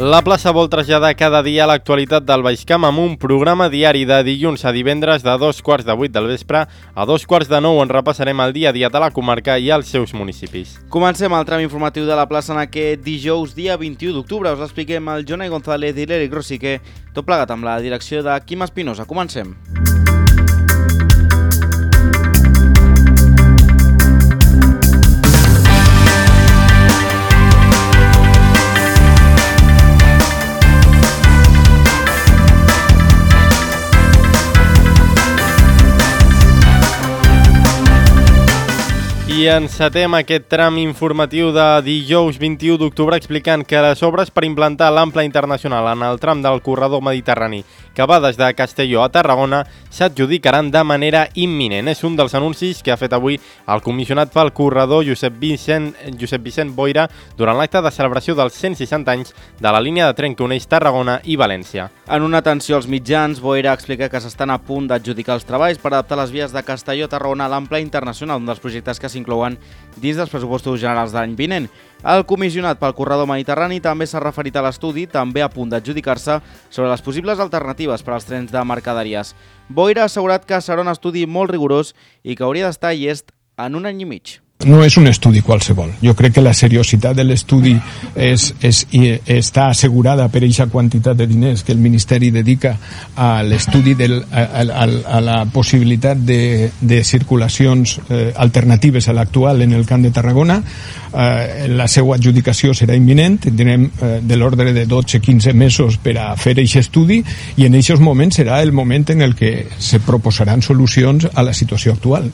La plaça vol traslladar cada dia l'actualitat del Baix Camp amb un programa diari de dilluns a divendres de 7:15 del vespre a 9:15 on repassarem el dia a dia de la comarca i els seus municipis. Comencem el tram informatiu de la plaça en aquest dijous, dia 21 d'octubre. Us l'expliquem el Jonai González i l'Eric Rosique, tot plegat amb la direcció de Quim Espinosa. Comencem. I encetem aquest tram informatiu de dijous 21 d'octubre explicant que les obres per implantar l'ample internacional en el tram del corredor mediterrani que va des de Castelló a Tarragona s'adjudicaran de manera imminent. És un dels anuncis que ha fet avui el comissionat pel corredor Josep Vicent Boira durant l'acte de celebració dels 160 anys de la línia de tren que uneix Tarragona i València. En una atenció als mitjans, Boira explica que s'estan a punt d'adjudicar els treballs per adaptar les vies de Castelló a Tarragona a l'ample internacional, un dels projectes que s'inclouen dins dels pressupostos generals de l'any vinent. El comissionat pel corredor mediterrani també s'ha referit a l'estudi, també a punt d'adjudicar-se, sobre les possibles alternatives per als trens de mercaderies. Boira ha assegurat que serà un estudi molt rigorós i que hauria d'estar llest en un any i mig. No és un estudi qualsevol. Jo crec que la seriositat de l'estudi està assegurada per aquesta quantitat de diners que el Ministeri dedica a l'estudi a la possibilitat de circulacions alternatives a l'actual en el Camp de Tarragona. La seva adjudicació serà imminent, tindrem de l'ordre de 12-15 mesos per a fer aquest estudi i en aquests moments serà el moment en el que se proposaran solucions a la situació actual.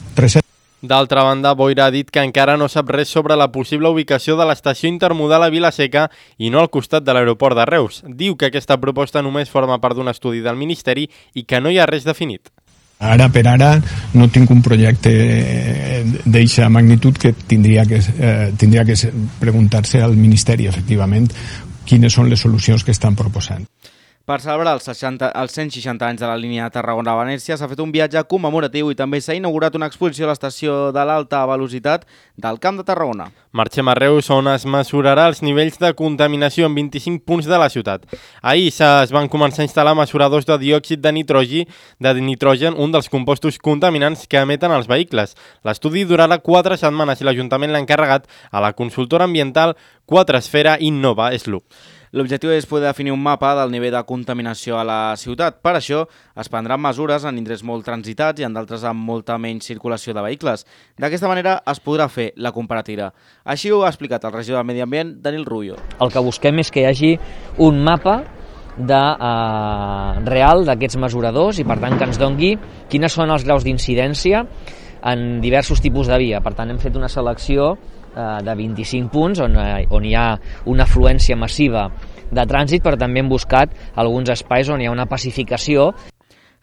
D'altra banda, Boira ha dit que encara no sap res sobre la possible ubicació de l'estació intermodal a Vila-seca i no al costat de l'aeroport de Reus. Diu que aquesta proposta només forma part d'un estudi del Ministeri i que no hi ha res definit. Ara per ara no tinc un projecte d'eixa magnitud que tindria que preguntar-se al Ministeri, efectivament, quines són les solucions que estan proposant. Per celebrar els 160 anys de la línia Tarragona-València s'ha fet un viatge commemoratiu i també s'ha inaugurat una exposició a l'estació de l'alta velocitat del Camp de Tarragona. Marxem a Reus, on es mesurarà els nivells de contaminació en 25 punts de la ciutat. Ahir es van començar a instal·lar mesuradors de diòxid de nitrogen, un dels compostos contaminants que emeten els vehicles. L'estudi durarà 4 setmanes i l'Ajuntament l'ha encarregat a la consultora ambiental Quatresfera Innova SLUC. L'objectiu és poder definir un mapa del nivell de contaminació a la ciutat. Per això es prendran mesures en indrets molt transitats i en d'altres amb molta menys circulació de vehicles. D'aquesta manera es podrà fer la comparativa. Així ho ha explicat el regidor de Medi Ambient, Daniel Rubio. El que busquem és que hi hagi un mapa real d'aquests mesuradors i per tant que ens dongui quines són els graus d'incidència en diversos tipus de via. Per tant hem fet una selecció de 25 punts on hi ha una afluència massiva de trànsit, però també hem buscat alguns espais on hi ha una pacificació.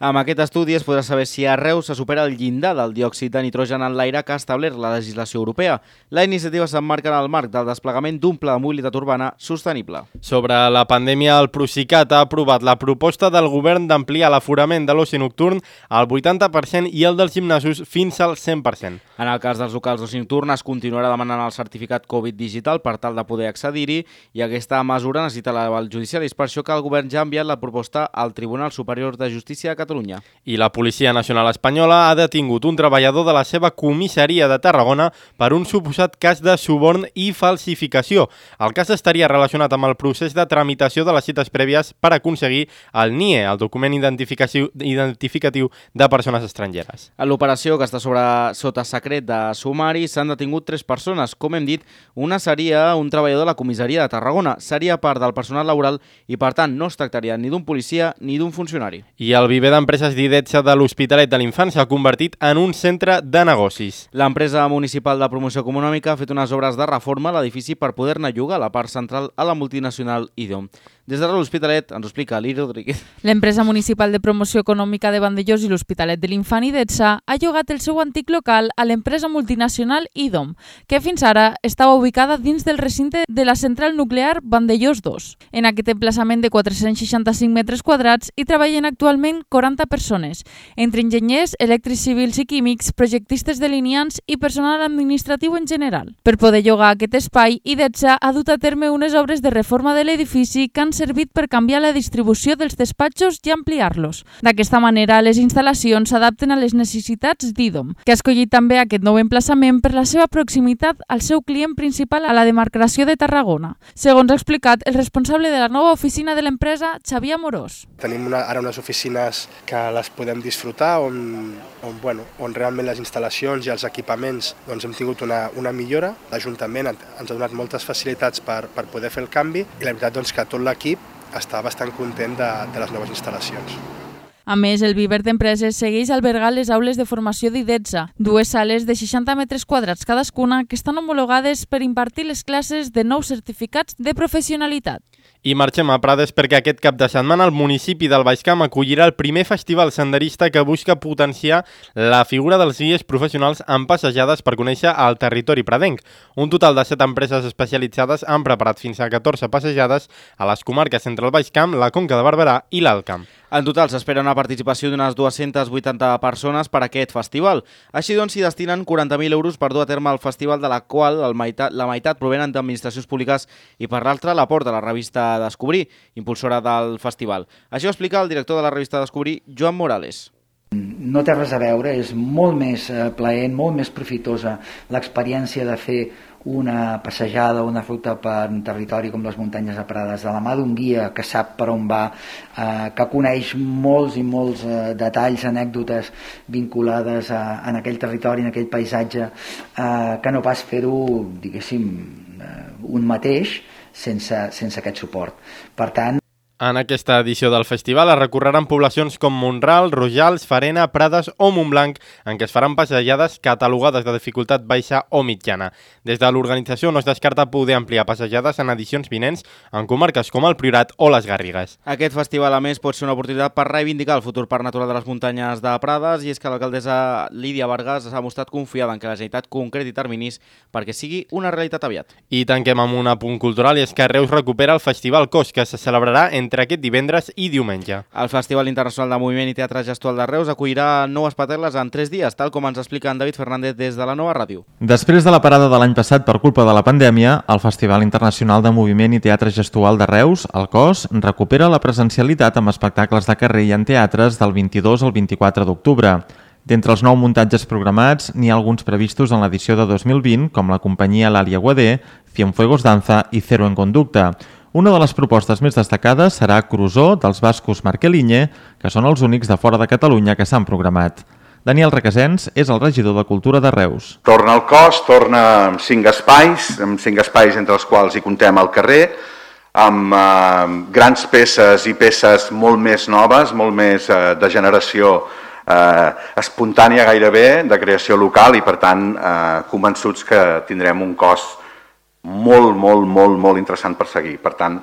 Amb aquest estudi es podrà saber si a Reus se supera el llindar del diòxid de nitrogen en l'aire que ha establert la legislació europea. La iniciativa s'emmarca en el marc del desplegament d'un pla de mobilitat urbana sostenible. Sobre la pandèmia, el Procicat ha aprovat la proposta del govern d'ampliar l'aforament de l'oci nocturn al 80% i el dels gimnasos fins al 100%. En el cas dels locals d'oci nocturn es continuarà demanant el certificat Covid digital per tal de poder accedir-hi i aquesta mesura necessita l'aval judicial. És per això que el govern ja ha enviat la proposta al Tribunal Superior de Justícia de Catalunya. I la Policia Nacional Espanyola ha detingut un treballador de la seva comissaria de Tarragona per un suposat cas de suborn i falsificació. El cas estaria relacionat amb el procés de tramitació de les cites prèvies per aconseguir el NIE, el document identificatiu de persones estrangeres. En l'operació, que està sota secret de sumari, s'han detingut 3 persones. Com hem dit, una seria un treballador de la comissaria de Tarragona. Seria part del personal laboral i, per tant, no es tractaria ni d'un policia ni d'un funcionari. I el viver d'empreses d'Idetsa de l'Hospitalet de l'Infant s'ha convertit en un centre de negocis. L'empresa municipal de promoció econòmica ha fet unes obres de reforma a l'edifici per poder-ne llogar la part central a la multinacional IDOM. Des de l'Hospitalet ens ho explica Lili Rodríguez. L'empresa municipal de promoció econòmica de Vandellós i l'Hospitalet de l'Infant Idetsa ha llogat el seu antic local a l'empresa multinacional IDOM, que fins ara estava ubicada dins del recinte de la central nuclear Vandellós 2. En aquest emplaçament de 465 metres quadrats hi treballen actualment 40 persones, entre enginyers, elèctrics civils i químics, projectistes delineants i personal administratiu en general. Per poder llogar aquest espai, Idetsa ha dut a terme unes obres de reforma de l'edifici que han han servit per canviar la distribució dels despatxos i ampliar-los. D'aquesta manera, les instal·lacions s'adapten a les necessitats d'IDOM, que ha escollit també aquest nou emplaçament per la seva proximitat al seu client principal a la demarcació de Tarragona. Segons ha explicat el responsable de la nova oficina de l'empresa, Xavier Amorós. Tenim ara unes oficines que les podem disfrutar, on realment les instal·lacions i els equipaments hem tingut una millora. L'Ajuntament ens ha donat moltes facilitats per poder fer el canvi i la veritat que tot l'equip està bastant content de les noves instal·lacions. A més, el Viver d'Empreses segueix albergant les aules de formació d'IDETSA, 2 sales de 60 metres quadrats cadascuna que estan homologades per impartir les classes de nous certificats de professionalitat. I marxem a Prades perquè aquest cap de setmana el municipi del Baix Camp acollirà el primer festival senderista que busca potenciar la figura dels guies professionals en passejades per conèixer el territori pradenc. Un total de 7 empreses especialitzades han preparat fins a 14 passejades a les comarques entre el Baix Camp, la Conca de Barberà i l'Alt Camp. En total s'espera una participació d'unes 280 persones per a aquest festival. Així doncs, s'hi destinen 40.000 euros per dur a terme el festival, de la qual la meitat provenen d'administracions públiques i per l'altra l'aporta la revista Descobrir, impulsora del festival. Això ho explica el director de la revista Descobrir, Joan Morales. No té res a veure, és molt més plaent, molt més profitosa l'experiència de fer una passejada, una ruta per un territori com les muntanyes de Prades, de la mà d'un guia que sap per on va, que coneix molts i molts detalls, anècdotes vinculades en aquell territori, en aquell paisatge, que no pas fer-ho, diguéssim, un mateix sense aquest suport. Per tant, en aquesta edició del festival es recorreran poblacions com Mont-ral, Rojals, Farena, Prades o Montblanc, en què es faran passejades catalogades de dificultat baixa o mitjana. Des de l'organització no es descarta poder ampliar passejades en edicions vinents en comarques com el Priorat o les Garrigues. Aquest festival, a més, pot ser una oportunitat per reivindicar el futur parc natural de les muntanyes de Prades, i és que l'alcaldessa Lídia Vargas s'ha mostrat confiada en que la Generalitat concreti terminis perquè sigui una realitat aviat. I tanquem amb un apunt cultural, i és que Reus recupera el Festival Cos, que se celebrarà entre aquest divendres i diumenge. El Festival Internacional de Moviment i Teatre Gestual de Reus acollirà noves patel·les en 3 dies, tal com ens explica en David Fernández des de la Nova Ràdio. Després de la parada de l'any passat per culpa de la pandèmia, el Festival Internacional de Moviment i Teatre Gestual de Reus, el COS, recupera la presencialitat amb espectacles de carrer i en teatres del 22 al 24 d'octubre. D'entre els 9 muntatges programats, n'hi ha alguns previstos en l'edició de 2020, com la companyia L'Alia Guadé, Cienfuegos Danza i Cero en Conducta. Una de les propostes més destacades serà Cruzó, dels bascos Marqueliñe, que són els únics de fora de Catalunya que s'han programat. Daniel Requesens és el regidor de Cultura de Reus. Torna el COS, torna amb 5 espais entre els quals hi comptem al carrer, amb grans peces i peces molt més noves, molt més de generació espontània gairebé, de creació local, i per tant convençuts que tindrem un COS molt interessant per seguir. Per tant,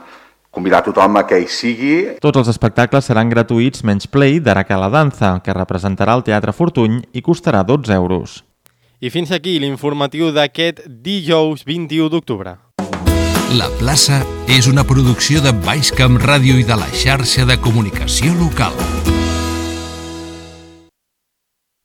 convidar tothom a que hi sigui. Tots els espectacles seran gratuïts menys Play d'Araca la Danza, que representarà el Teatre Fortuny i costarà 12 euros. I fins aquí l'informatiu d'aquest dijous 21 d'octubre. La plaça és una producció de Baix Camp Ràdio i de la xarxa de comunicació local.